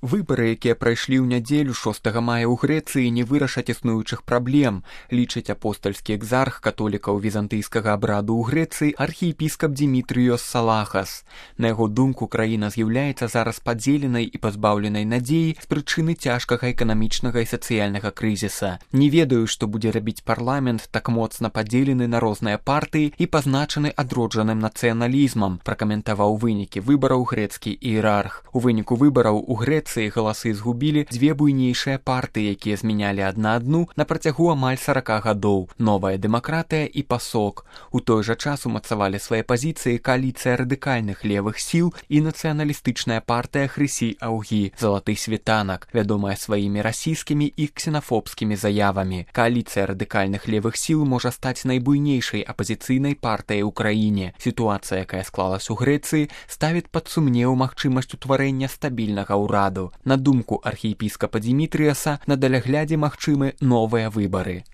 Выбары, якія прайшлі ў нядзелю 6 мая ў Грэцыі, не вырашаць існуючых праблем, лічыць апостальскі экзарх католікаў візантыйскага абраду ў Грэцыі архіепіскап Димітрыёс Салахас. На яго думку, краіна з'яўляецца зараз падзеленай і пазбаўленай надзеі з прычыны цяжкага эканамічнага і сацыяльнага крызіса. Не ведаю, што будзе рабіць парламент, так моцна падзелены на розныя партыі і пазначаны адроджаным нацыяналізмам, пракаментаваў вынікі выбараў грэцкі іерарх. У выніку выбараў у Грэцыі галасы згубілі дзве буйнейшыя партыі, якія змянялі адна адну на працягу амаль 40 гадоў – Новая дэмакратыя і ПАСОК. У той жа час умацавалі свае пазіцыі кааліцыя радыкальных левых сіл і нацыяналістычная партыя Хрысі Аўгі, Залаты світанак, вядомая сваімі расійскімі і ксенафобскімі заявамі. Кааліцыя радыкальных левых сіл можа стаць найбуйнейшай апазіцыйнай партыяй у краіне. Сітуацыя, якая склалась у Грэцыі, ставіць пад сумнеў магчымасць утварэння стабільнага ўраду. На думку архіепіскапа Димітрыяса, на даляглядзе магчымы новыя выбары.